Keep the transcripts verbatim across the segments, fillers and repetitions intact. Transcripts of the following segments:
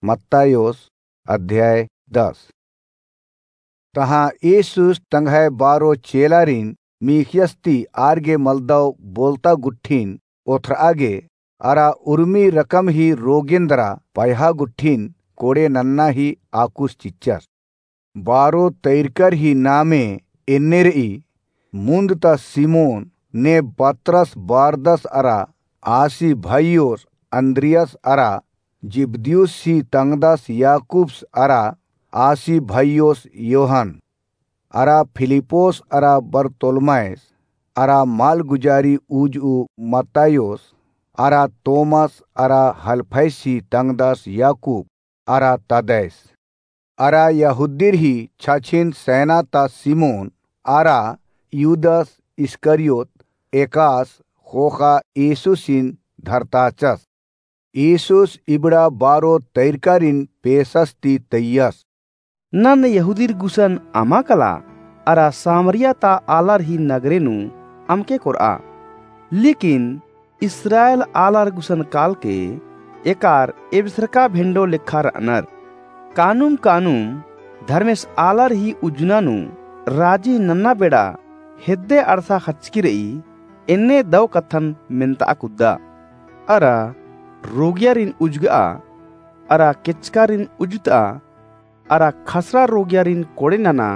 मत्तायोस अध्याय दस। तहाँ येसुस तंग्है बारो चेलारिन मीख़ियस ती आर गे मलदव बोलता गुट्ठिन ओथ्रआ गे, अरा उर्मी रकम ही रोगेन दरा पयहा गुट्ठिन कोड़े नन्ना ही आकुस चिच्चस। बारो तैरकर ही नामे एन्ने रई, मुन्द ता सिमोन, ने पतरस, बरदस अरा आसी भइयोस अन्द्रियास अरा जिब्दियुस ही तंगदस याकूबस अरा आसी भइयोस योहन, अरा फिलिप्पोस अरा बरतोलमैस, अरा मालगुजारी उजऊ मत्तायोस, अरा तोमस, अरा हलफैस ही तंगदस याकूब, अरा तदैस, अरा यहूदीर ही छछिन सैना ता सिमोन, अरा युदस इस्करियोत, एकास ख़ोख़ा येसुसिन धरताचस। येसुस इबड़ा बारो तैरकारिन पेसस ती तैयस। नन यहूदीर गुसन अमा कला, अरा सामरिया ता आलर ही नगरे नू अमके कोरआ। लेकिन इस्राएल आलर गुसन कालके एकार एबसरका भेंडो लेखा रअनर। कानुम कानुम धर्मेस आलर ही उज्जना नू राजी नन्ना बेड़ा हेद्दे अड़सा ख़चकी रई, एन्ने दौ कत्थन मेन्तआ कुद्दा। अरा रोगियारिन उज्जगआ, अरा केचकारिन उज्जतआ, अरा खसरा रोगियारिन कोड़े नना,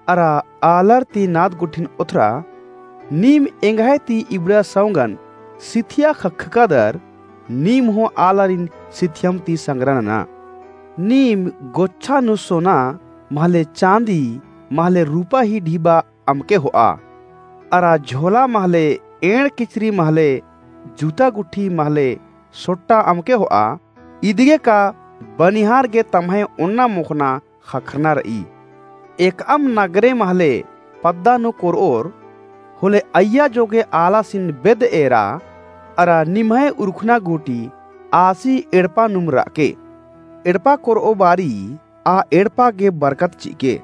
अरा आलर ती नाद गुट्ठिन ओथरा, नीम एंग्है ती इबड़ा सौंगन सिथिया ख़क्खकादर, नीम हूँ आलारिन सिथियम ती संगरा नना। नीम गोच्छा नू सोना, महले चाँदी, महले रूपा ही ढिबा अमके होआ, अरा झोला महले एंड़ किचरी महले जूता गुट्ठी महले सोट्टा अमके होआ, इदिगे का बनिहार गे तम्है ओन्ना मोख़ना ख़क्खरना रई। एकअम नगरे महले पद्दा नू कोरओर, होले अइय्या जोगे आलासिन बेद्द एरा, अरा निम्है उरखना गूटी आसी एड़पा नुम रअके। एड़पा कोरओ बारी आ एड़पा गे बरकत चिअके।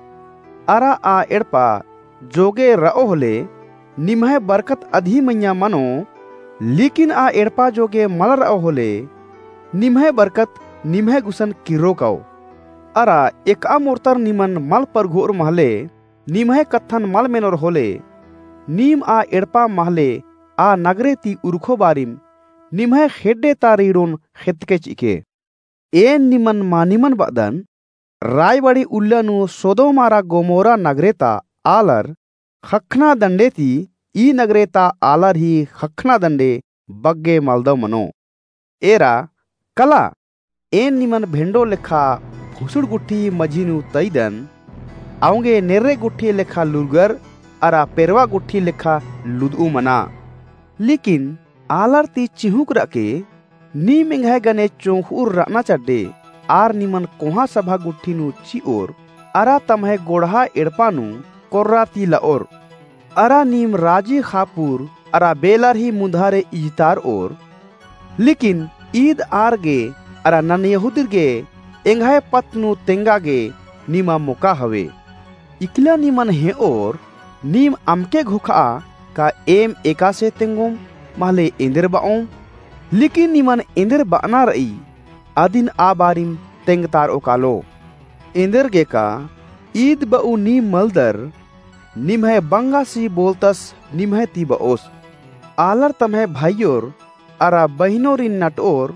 अरा आ एड़पा जोगे रओ होले निम्है बरकत अदी मइय्याँ मनो, लेकिन आ एड़पा जोगे मल रओ होले निम्है बरकत निम्है गुसन किर्रो काओ। अरा एकअम ओर्तर निमन मल परघोर महले निम्है कत्थन मल मेनोर होले, नीम आ एड़पा महले आ नगरे ती उरखो बारिम निम्है ख़ेड्डे ता रीड़ोन ख़ेत्तके चिअके। एन निमन मानिमन बअदन, रायबाड़ी उल्ला नू सोदोम अरा गोमोरा नगरे ता आलर ख़क्खना दंडे ती ई नगरे ता आलर ही ख़क्खना दंडे बग्गे मलदव मनो। एरा कला, एन निमन भेंडो लेखा भुसुड़ गुट्ठी मझी नू तइदन, अवंगे नेर्रे गुट्ठी लेखा लूरगर अरा पेरवा गुट्ठी लेखा लुदऊ मना। लेकिन आलर ती चिहुँक रअके, नीम एंग्है गने चोंख़उर रअना चड्डे, आर निमन कोहाँ सभा गुट्ठी नू चिओर, अरा तम्है गोड़हा एड़पा नू कोर्रा ती लओर। अरा नीम राजी ख़ापुर अरा बेलर ही मुन्धारे इजतारओर। लेकिन ईद आर गे अरा नन यहूदीर गे एंग्है पत्त नू तेंगा गे निमा मोका हवे। इकला निमन हेंओर, नीम अमके घोखआ का एम एकासे तेंगोम महले एन्देर बओम? लेकिन निमन एन्देर बअना रई, अदिन आ बारिम तेंगतारओ कालो। एन्देर गे का ईद बऊ नीम मलदर, निम्है बंगासी बोलतस निम्है ती बओस। आलर तम्है भाईयोर अरा बहिनोरिन नटओर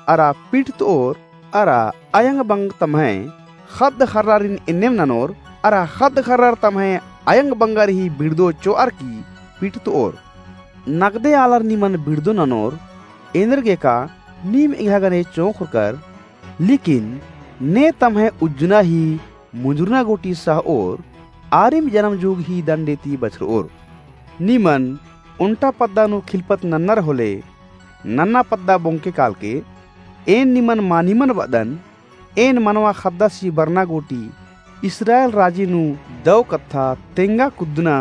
अरा पिटतओर अरा अयंग बंग तम्है ख़द्द ख़र्रारिन एन्नेम ननोर अरा ख़द्द ख़र्रर तम्है अयंग बंगर ही बिड़दो चोअर की पिटतओर। नगदे आलर निमन बिड़दो ननोर, एन्देर गे का नीम एंग्है गने चोंख़ोरकर, लेकिन ने तम्है उज्जना ही मुंजुरना गूटी सहओर, आरिम जनम जुग ही दंडे ती बछरओर। निमन ओन्टा पद्दा नू खिलपत नन्नर होले, नन्ना पद्दा बोंगके कालके, एन निमन मानिमन बअदन, एन मनवा ख़द्दासी बरना गूटी, इस्राएल राजी नू दौ कत्था तेंगा कुद्दना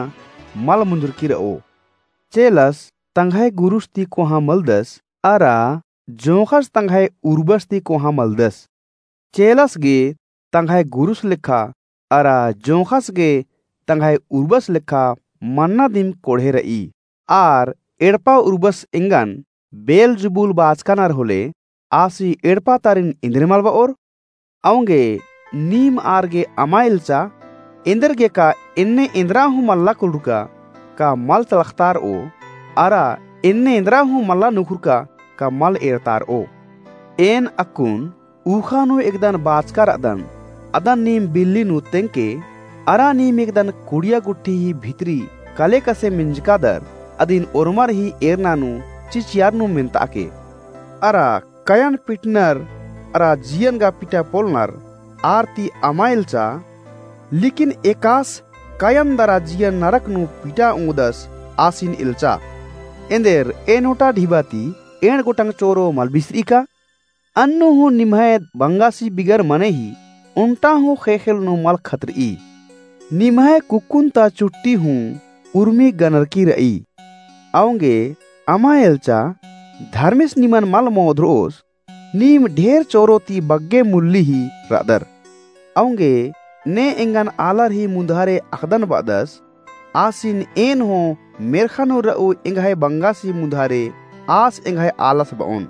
मल मुंजुरकी रओ। चेलस तंग्है गुरुस ती कोहाँ मलदस, अरा जोंख़स तंग्है उर्बस ती कोहाँ मलदस। चेलस गे तंग्है गुरुस लेखा, अरा जोंख़स गे तंग्है उर्बस लेखा मन्ना दिम कोड़हे रई। आर एड़पा उर्बस एंगन बेलजबूल बाचकानर होले, आसी एड़पा तारिन एन्देर मल बओर? औंगे नीम आर गे अमा एल्चा, एन्देरगे का एन्ने एन्दरा हूँ मल्ला कुलुरका का मल तलख़तारओ, अरा एन्ने एन्दरा हूँ मल्ला नुखुरका का मल एरतारओ। एन अक्कुन ऊख़ा नू एकदन बाचका रअदन, अदन नीम बिल्ली नू तेंगके, अरा नीम एकदन कुड़िया गुट्ठी ही भितरी कलेकसे मिंजकादर, अदिन ओर्मर ही एरना नू चिचियर नू मेन्ताके। अरा कयन पिटनर अरा जियन गा पिटा पोलनर आर ती अमा एल्चा, लेकिन एकास कयन दरा जियन नरक नू पिटा ओंगदस आसिन एल्चा। एन्देर एन ओटा ढिबा ती एंड़ गोटंग चोरो मल बिसरई का? अन्नु हूँ निम्है बंगासी बिगर मने ही ओन्टा हूँ ख़ेख़ेल नू मल खतरई। निम्है कुक्कुन ता चुट्टी हूँ उर्मी गनरकी रई। औंगे अमा एल्चा, धर्मेस निमन मल मोधरओस, नीम ढेर चोरो ती बग्गे मुल्ली ही रअदर। औंगे ने एंगन आलर ही मुन्धारे अख़दन बअदस, आसिन एन हूँ मेर्ख़ा नू रऊ एंग्है बंगासी मुन्धारे आस एंग्है आलस बओन।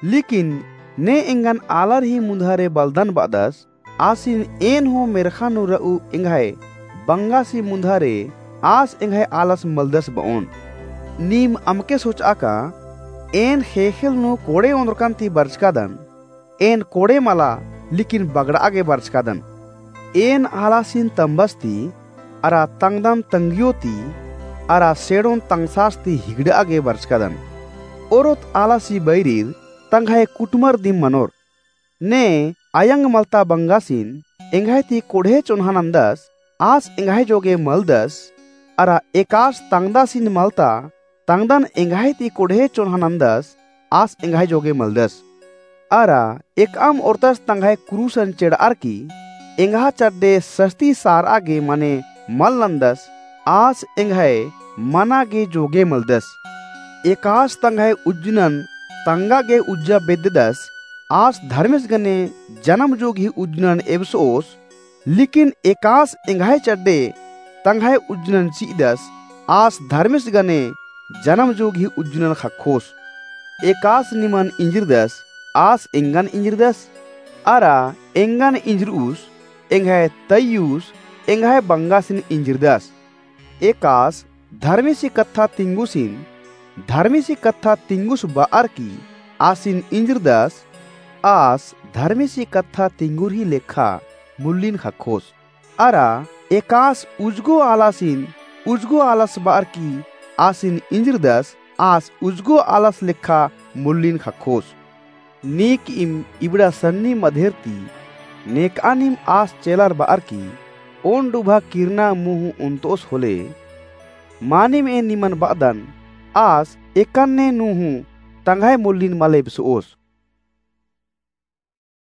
लेकिन ने एंगन आलर ही मुन्धारे बलदन बअदस, आसिन एन हूँ मेर्ख़ा नू रऊ एंग्है बंगासी मुन्धारे आस एंग्है आलस मलदस बओन। नीम अमके सोचआ का, एन ख़ेख़ेल नू कोड़े ओन्द्रकन ती बरचकादन, एन कोड़े मला, लेकिन बगड़आ गे बरचकादन। एन आलासिन तम्बस ती, अरा तंगदन तंगियो ती, अरा सेड़ोन तंगसास ती हिगड़आ गे बरचकादन। ओरोत आलासी बैरिर तंग्है कुटुमर दिम मनोर। ने अयंग मलता बंगासिन एंग्है ती कोड़हे चोन्हा नन्दस, आस एंग्है जोगे मलदस, अरा एकास तंगदासिन मलता तंगदन एंग्है ती कोड़हे चोन्हा नन्दस, आस एंग्है जोगे मलदस। अरा एकअम ओर्तस तंग्है कुरुसन चेड़अर की एंग्हा चड्डे सस्ती सारआ गे मने मल नन्दस, आस एंग्है मना गे जोगे मलदस। एकास तंग्है उज्जनन तंगा गे उज्जा बेद्ददस, आस धर्मेस गने जनम जोग ही उज्जनन एबसओस, लेकिन एकास एंग्है चड्डे तंग्है उज्जनन चि'अदस, आस धर्मेस गने जनम जोग ही उज्जनन ख़क्खोस। एकास निमन इंजरदस, आस एंगन इंजरदस, अरा एंगन इंजरउस, एंग्है तइय्युस, एंग्है बंगासिन इंजरदस। एकास धर्मेसी कत्था तिंगुसिन, धर्मेसी कत्था तिंगुस बअर की आसिन इंजरदस, आस धर्मेसी कत्था तिंगुरही लेखा मुल्लिन ख़क्खोस। अरा एकास उजगो आलासिन, उजगो आलस बअर की आसिन इंजरदस, आस उजगो आलस लेखा मुल्लिन ख़क्खोस। नीकइम इबड़ा सन्नी मधेर ती नेकआनिम आस चेलर बअर की ओन डुभा किरना मुँह उन्तोस होले, मानिम एन निमन बअदन, आस एकन्ने नू हूँ तंग्है मुल्लिन मल एबसोस।